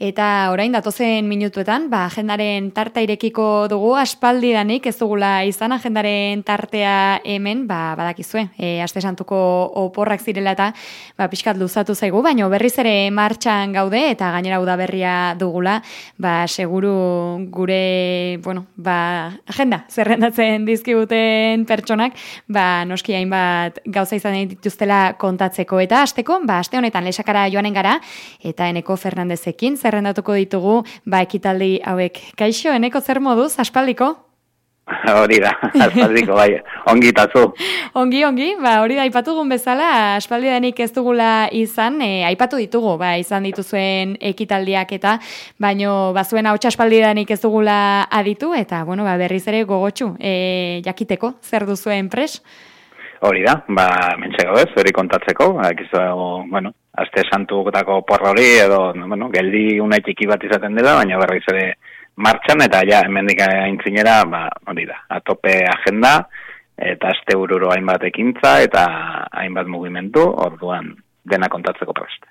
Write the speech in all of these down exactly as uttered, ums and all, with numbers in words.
Eta orain datozen minutuetan, ba, agendaren tarta irekiko dugu, aspaldidanik ez dugula izan agendaren tartea hemen, ba, badakizue, e, aste santuko oporrak zirela eta ba, pixkat luzatu zaigu, baina berriz ere martxan gaude eta gainera udaberria dugula, ba, seguru gure, bueno, ba, agenda zerrendatzen dizkiguten pertsonak, ba, noski hainbat gauza izan dituztela kontatzeko. Eta hasteko, ba, aste honetan lesakara joanen gara, eta Eneko Fernandezekin zerrendatuko ditugu, ba, ekitaldi hauek. Kaixo, Eneko, zer moduz, aspaldiko? Hori da, aspaldiko, bai, ongi tatzu. Ongi, ongi, ba, hori da, aipatugun bezala, aspaldidanik ez dugula izan, e, aipatu ditugu, ba, izan dituzuen ekitaldiak eta, baino, bazuen hau aspaldidanik ez dugula aditu, eta, bueno, ba, berriz ere gogotsu, e, jakiteko, zer duzuen pres? Hori da, ba, mentxe gaudez, hori kontatzeko, akizu, bueno, aste santuetako porra hori, edo, bueno, geldi una txiki bat izaten dela, baina berriz ere martxan, eta ja, hemendik aintzinera, ba, hori da, atope agenda, eta aste bururo hainbat ekintza, eta hainbat mugimendu, orduan dena kontatzeko prest.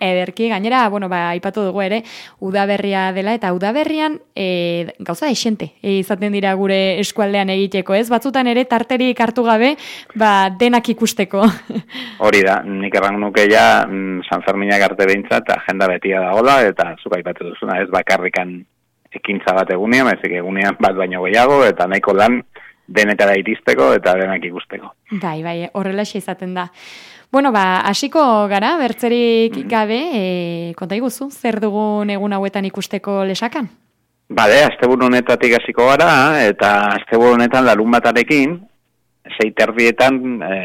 Ederki, gainera, bueno, ba, aipatu dugu ere, udaberria dela, eta udaberrian e, gauza esente e, izaten dira gure eskualdean egiteko, ez? Batzutan ere tarterik hartu gabe, ba, denak ikusteko. Hori da, nik erran nuke ja, San Ferminak arte behintzat, agenda betia dagoela, eta zuk aipatu duzuna, ez bakarrikan ekintza bat egunean, ezik egunean bat baino gehiago, eta nahiko lan denetara iristeko eta denak ikusteko. Bai, bai, horrelaxe izaten da. Bueno, ba, hasiko gara, bertzerik gabe, e, konta iguzu, zer dugun egun hauetan ikusteko lesakan? Bale, asteburu honetatik hasiko gara, eta asteburu honetan larun batarekin, sei terdietan, e,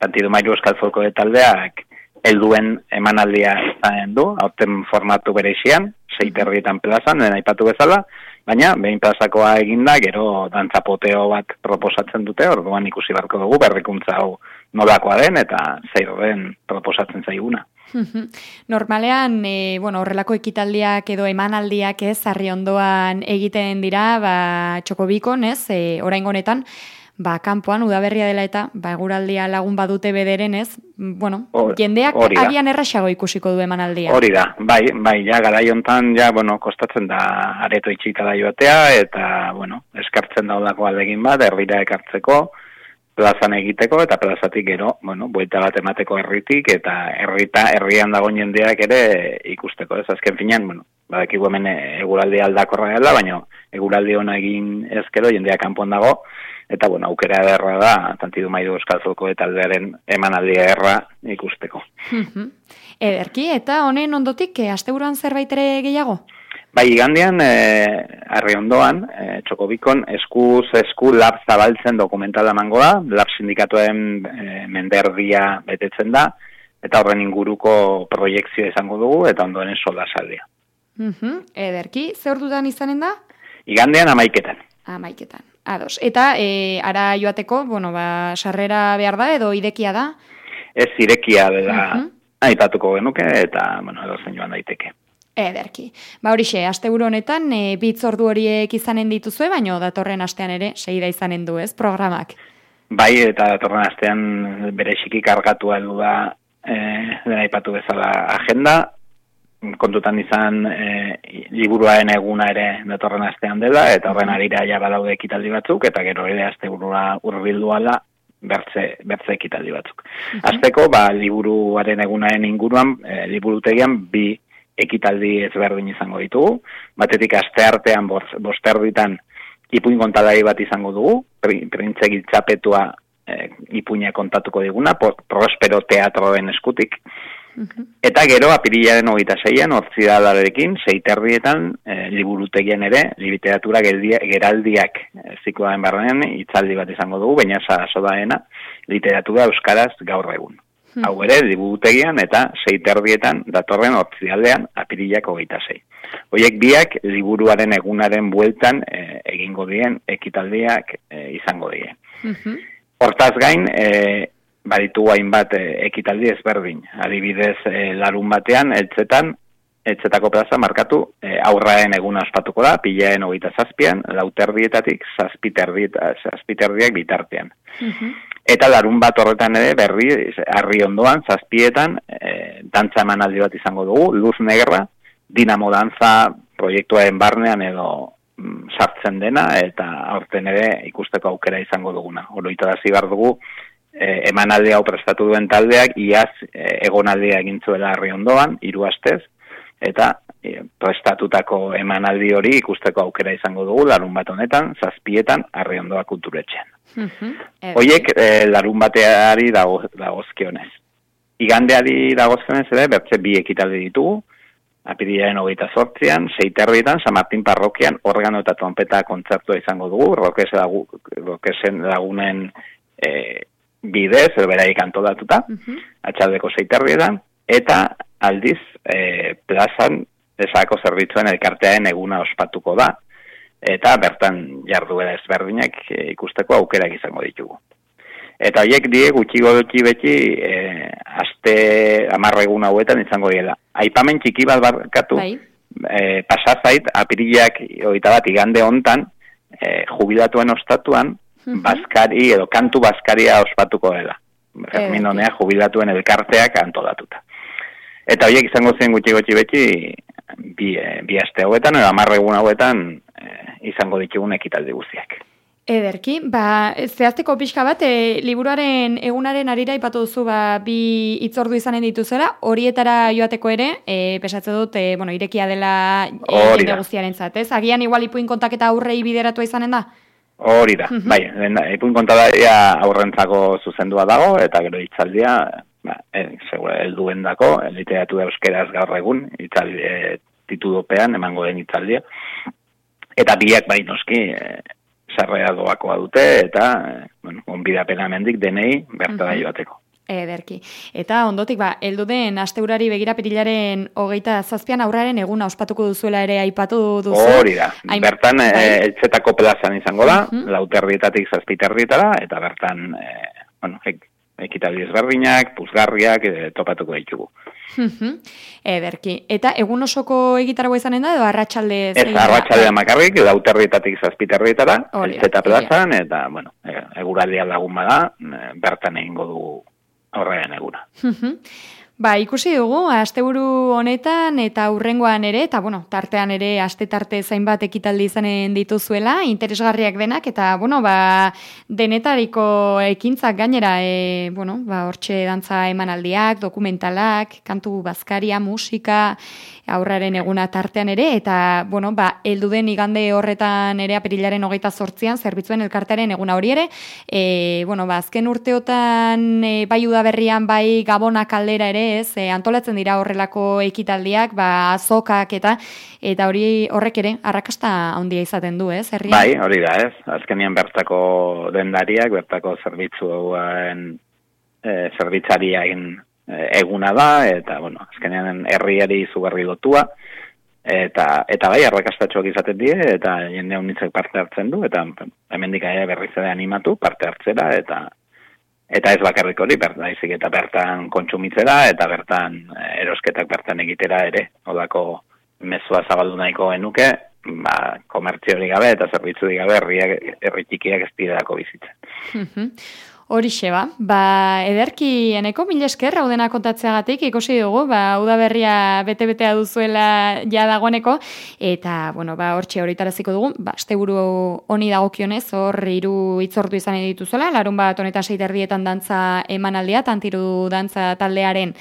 Tantidu Mailu Euskal Folklore taldeak helduen emanaldia izanen du, aurten formatu bereixian, sei terdietan plazan, den aipatu bezala, baina behin plazakoa eginda, gero dantzapoteo bat proposatzen dute, orduan ikusi barko dugu, berrikuntza hau nolakoa den, eta zeiro den proposatzen zaiguna. Normalean, e, bueno, horrelako ekitaldiak edo emanaldiak ez, harri ondoan egiten dira, ba, txokobikon, ez, e, oraingo honetan, ba, kanpoan, udaberria dela eta, ba, eguraldia lagun badute bederen, ez, bueno, Or, jendeak agian erraxago ikusiko du emanaldia. Hori da, bai, bai, ja, garai hontan, ja, bueno, kostatzen da areto itxikada joatea, eta, bueno, eskartzen daudako aldegin bat, herrira ekartzeko, plazan egiteko, eta plazatik gero, bueno, buelta bat emateko herritik, eta herrita, herrian dagoen jendeak ere ikusteko, ez, azken finean, bueno, badakigu hemen eguraldi aldakorra dela, baina eguraldi ona egin ezkero, jendeak kanpon dago, eta, bueno, aukera ederra da, Tantidu Mailu Euskal Folklore taldearen emanaldia erra ikusteko. Ederki, eta honen ondotik, asteburuan zerbait ere gehiago? Bai, igandean, eh, arri ondoan, eh, txokobikon, eskuz esku lab zabaltzen dokumentala emango da, lab sindikatuen eh, menderdia betetzen da, eta horren inguruko proiektzioa izango dugu, eta ondoen sola saldia. Uh-huh. Ederki, ze ordutan izanen da? Igandean amaiketan. Amaiketan, ados. Eta, e, ara joateko, bueno, ba, sarrera behar da, edo irekia da? Ez irekia dela uh-huh. aipatuko genuke, eta, bueno, edo zen joan daiteke. Ederki. Ba horixe, asteburu honetan e, bitz ordu horiek izanen dituzue, baino datorren astean ere seida izanen du, ez, programak? Bai, eta datorren astean bereziki kargatua heldu da e, dena aipatu bezala agenda, kontutan izan e, liburuaren eguna ere datorren astean dela, eta horren arira ja badaude ekitaldi batzuk, eta gero ere asteburua hurbildu ala bertze, bertze ekitaldi batzuk. Uh-huh. Azteko, ba, liburuaren egunaren inguruan, e, liburutegian bi ekitaldi ezberdin izango ditugu. Batetik aste artean bosterditan ipuin kontalari bat izango dugu, printze giltzapetua e, ipuina kontatuko diguna, Prospero teatroen eskutik. Uh-huh. Eta gero, apirilaren hogeita zeian, ortzidalarekin, seiterrietan, e, liburutegian ere, literatura geraldiak e, zikloaren barrenean, hitzaldi bat izango dugu, baina saso daena, literatura euskaraz gaur egun. Hmm. Hau ere, liburutegian eta seiterrietan datorren ortzidaldean apirilak hogeita zei. Hoiek biak liburuaren egunaren bueltan e, egingo dien ekitaldiak e, izango die. Uh-huh. Hortaz gain, e, baditu hainbat e, ekitaldi ezberdin. Adibidez, e, larun batean, eltzetan, eltzetako plaza markatu, e, aurraen eguna ospatuko da, pilaen hogeita zazpian, lauterdietatik, zazpiterdiak bitartean. Uh-huh. Eta larun bat horretan ere, berri, harri ondoan, zazpietan, e, dantza emanaldi bat izango dugu, Luz Negra, Dinamo Dantza proiektuaren barnean edo mm, sartzen dena, eta aurten ere ikusteko aukera izango duguna. Oroitarazi behar dugu, e, emanaldi hau prestatu duen taldeak, iaz e, egonaldia egin zuela Herri Ondoan, hiru astez, eta e, prestatutako emanaldi hori ikusteko aukera izango dugu, larun bat honetan, zazpietan, Herri Ondoa kulturetxean. Mm-hmm. Hoiek e, larun bateari dago, dagozkionez. Igandeari dagozkionez ere, bertze bi ekitaldi ditugu, apirilaren hogeita zortzian, seiterrietan, San Martin parrokian, organo eta trompeta kontzertua izango dugu, rokes lagu, rokesen lagunen e, bidez, edo beraik antolatuta, uh-huh. atxaldeko seiterrietan, eta aldiz, e, plazan, esako zerbitzuen elkartearen eguna ospatuko da, eta bertan jarduera ezberdinak e, ikusteko aukerak izango ditugu. Eta horiek die gutxi gutxi beti e, aste hamarra egun hauetan izango diela. Aipamen txiki bat barkatu, e, pasazait, apirilak hogeita bat igande hontan, e, jubilatuen ostatuan, uh-huh. Baskari edo kantu baskaria ospatuko dela. Fermin honea jubilatuen elkarteak antolatuta. Eta horiek izango zen gutxi gutxi beti bi, e, bi aste hauetan, edo hamarra egun hauetan e, izango ditugun ekitaldi guztiak. Ederki, ba, zehazteko pixka bat, e, liburuaren egunaren arira ipatu duzu ba, bi hitzordu izanen dituzela, horietara joateko ere, e, pesatze dut, e, bueno, irekia dela jende guztiaren zatez. Agian igual ipuin kontaketa aurrei bideratua izanen da? Hori da, uh-huh. bai, ipuin kontaketa aurrentzako zuzendua dago, eta gero hitzaldia, ba, e, segura, helduen dako, literatura euskeraz gaur egun, hitzaldi, e, titudopean, emango den hitzaldia, eta biak bai noski, e, sarrera doakoa dute, eta, bueno, onbidapena mendik denei bertara uh-huh. joateko. Ederki. Eta ondotik, ba, heldu den asteurari begira apirilaren hogeita zazpian aurraren eguna ospatuko duzuela ere aipatu duzu. Hori da. Hain... Bertan, bai. e, etxetako plazan izango da, uh-huh. lauterrietatik zazpiterrietara, eta bertan, e, bueno, ek, ekitaldi ezberdinak, puzgarriak, e, topatuko ditugu. Uh-huh. Ederki. Eta egun osoko egitaragua izanen da, edo arratsaldez? Ez, arratsaldea makarrik, lauterrietatik zazpiterrietara, etxeta plazan, eta, bueno, eguraldia lagun bada, bertan egingo dugu aurrean eguna. Uh-huh. Ba, ikusi dugu, asteburu honetan eta hurrengoan ere, eta bueno, tartean ere aste tarte zainbat ekitaldi izanen dituzuela, interesgarriak denak, eta bueno, ba, denetariko ekintzak gainera, e, bueno, ba, hortxe dantza emanaldiak, dokumentalak, kantu bazkaria, musika, aurraren eguna tartean ere, eta, bueno, ba, elduden igande horretan ere apirilaren hogeita zortzian, zerbitzuen elkartearen eguna hori ere, e, bueno, ba, azken urteotan, e, bai udaberrian, bai gabonak aldera ere, ez, e, antolatzen dira horrelako ekitaldiak, ba, azokak eta, eta hori horrek ere, arrakasta handia izaten du, ez, herrian? Bai, hori da, ez, azkenian bertako dendariak, bertako zerbitzuen, e, zerbitzariain eguna da, eta, bueno, azkenean herriari izugarri lotua, eta, eta bai, arrakastatxoak izaten die, eta jende unitzek parte hartzen du, eta hemendik ere berriz ere animatu, parte hartzera, eta eta ez bakarrik hori, baizik eta bertan kontsumitzera, eta bertan erosketak bertan egitera ere, odako mezua zabaldu nahiko genuke, ba, komertziorik gabe, eta zerbitzurik gabe, herriak, herri txikiak ez direlako bizitzen. Horixe ba, ba, ederki eneko mil esker haudena kontatzeagatik ikusi dugu, ba, udaberria bete-betea duzuela ja dagoeneko, eta, bueno, ba, hortxe horitaraziko dugu, ba, asteburu honi dagokionez, hor hiru hitzordu izan dituzuela, larun bat honetan seiterdietan dantza emanaldia, tantiru dantza taldearen,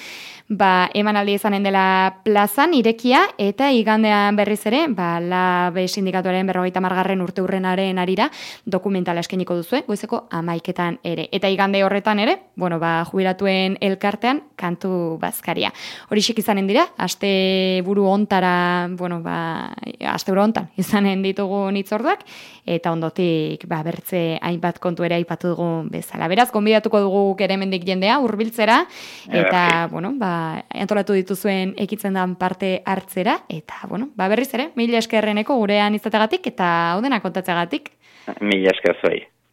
ba, emanaldi izanen dela plazan, irekia, eta igandean berriz ere, ba, Labe sindikatuaren berrogeita margarren urte hurrenaren arira, dokumentala eskeniko duzue, goizeko amaiketan ere. Eta igande horretan ere, bueno, ba, jubilatuen elkartean kantu bazkaria. Horixek izanen dira, aste buru ontara, bueno, ba, aste buru ontan izanen ditugu hitzorduak, eta ondotik, ba, bertze hainbat kontu ere aipatu dugu bezala. Beraz, gonbidatuko dugu ere mendik jendea, hurbiltzera, eta, bueno, ba, antolatu dituzuen ekitzen dan parte hartzera, eta, bueno, ba, berriz ere, mila eskerreneko gurean izategatik, eta hau dena kontatzeagatik. Mila esker zuei.